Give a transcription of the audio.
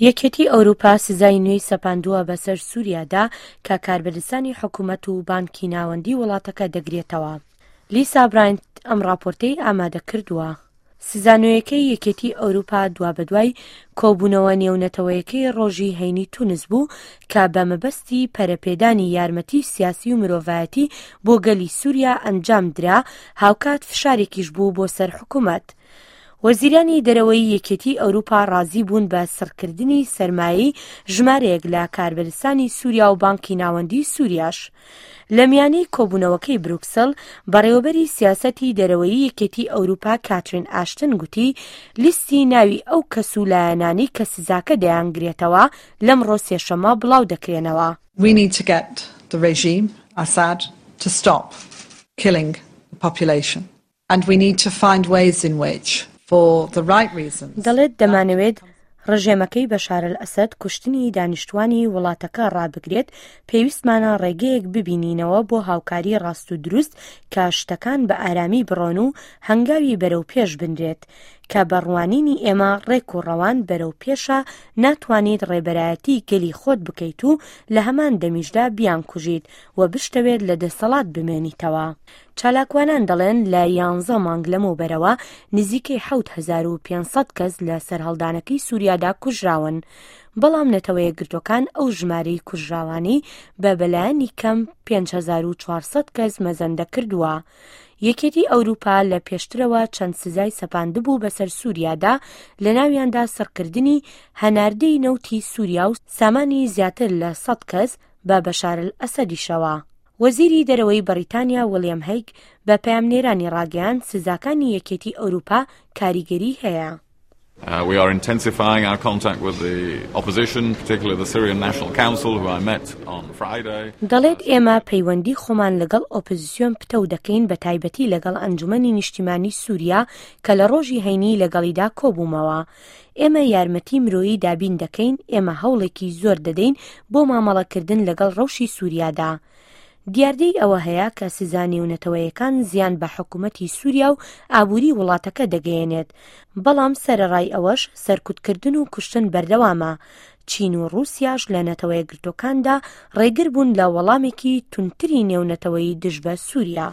یەکێتی ئەوروپا سزای نوێی سەپاندووە بەسەر سوریادا کە کاربەدەستانی حکومەت و بانکی ناوەندی وڵاتەکە دەگرێتەوە. لیسا براینت ئەم ڕاپۆرتەی ئامادە کردووە. سزا نوێیەکەی یەکێتی ئەوروپا دوابەدوای کۆبوونەوە نێونەتەوەیەکەی ڕۆژی هەینی تونس بوو کە بە مەبەستی پەرەپێدانی یارمەتی سیاسی و مرۆڤایەتی بۆ گەلی سوریا ئەنجام درا، هاوکات فشارێکیش بوو بۆ سەر حکومەت. وەزیرانی دەرەوەی یەکێتی ئەوروپا ڕازی بوون بە سڕکردنی سەرمایەی ژمارەیەک لە کاربەدەستانی سوریا و بانکی ناوەندی سوریاش. لە میانەی کۆبوونەوەکەی بروکسل، بەڕێوەبەری سیاسەتی دەرەوەیی یەکێتی ئەوروپا کاترین ئاشتن گوتی، لیستی ناوی ئەو کەس و لایەنانەی کە سزاکە دەیانگرێتەوە لەمڕۆ سێشەممە بڵاو دەکرێنەوە. We need to get the regime, Assad, to stop killing the population. And we need to find ways in which, for the right reasons, دەڵێت دەمانەوێت ڕژێمەکەی بەشار ئەلئەسەد کوشتنی دانیشتوانی وڵاتەکە ڕابگرێت، پێویستمانە ڕێگەیەک ببینینەوە بۆ هاوکاری ڕاست و دروست کە شتەکان بە ئارامی بڕۆن و هەنگاوی بەرەو پێش بنرێت، کە بە ڕوانینی ئێمە ڕێک و ڕەوان بەرەو پێشە، ناتوانیت ڕێبەرایەتی گەلی خۆت بکەیت و لە هەمان دەمیشدا بیانکوژیت و بشتەوێت لە دەسەڵات بمێنیتەوە. چالاکوانان دەڵێن لە یانزە مانگ لەمەوبەرەوە نزیکەی 7500 کەس لە سەرهەڵدانەکەی سووریادا کوژراون. بەڵام نەتەوەیەکگرتووەکان ئەو ژمارەی کوژراوانەی بە بەلایەنی کەم 5400 کەس مەزەندە کردووە. یەکێتی ئەوروپا لە پێشترەوە چەند سزای سەپاندبوو بەسەر سووریادا، لەناویاندا سڕکردنی هەناردەی نەوتی سووریا و سامانی زیاتر لە 100 کەس بە بەشار ئەلئەسەدیشەوە. وەزیری دەرەوەی بەڕیتانیا وڵیەم هەیگ بە پەیامنێرانی ڕاگەیاند سزاکانی یەکێتی ئەوروپا کاریگەری هەیە. We are intensifying our contact with the opposition, particularly the Syrian National Council, who I met on Friday. دەڵێت ئێمە پەیوەندی خۆمان لەگەڵ ئۆپۆزسیۆن پتەو دەکەین بە تایبەتی لەگەڵ ئەنجومەنی نیشتیمانی سوریا کە لە ڕۆژی هەینی لەگەڵیدا کۆبوومەوە. ئێمە یارمەتی مرۆیی دابین دەکەین، ئێمە هەوڵێکی زۆر دەدەین بۆ مامەڵەکردن لەگەڵ ڕەوشی سوریادا. دیاردەی ئەوە هەیە کە سزا نێونەتەوەیەکان زیان بە حکومەتی سوریا و ئابوری وڵاتەکە دەگەیەنێت، بەڵام سەرەڕای ئەوەش سەرکوتکردن و کوشتن بەردەوامە. چین و ڕوسیاش لە نەتەوەیەکگرتوەکاندا ڕێگر بوون لە وەڵامێکی توندتری نێونەتەوەیی دژ بە سوریا.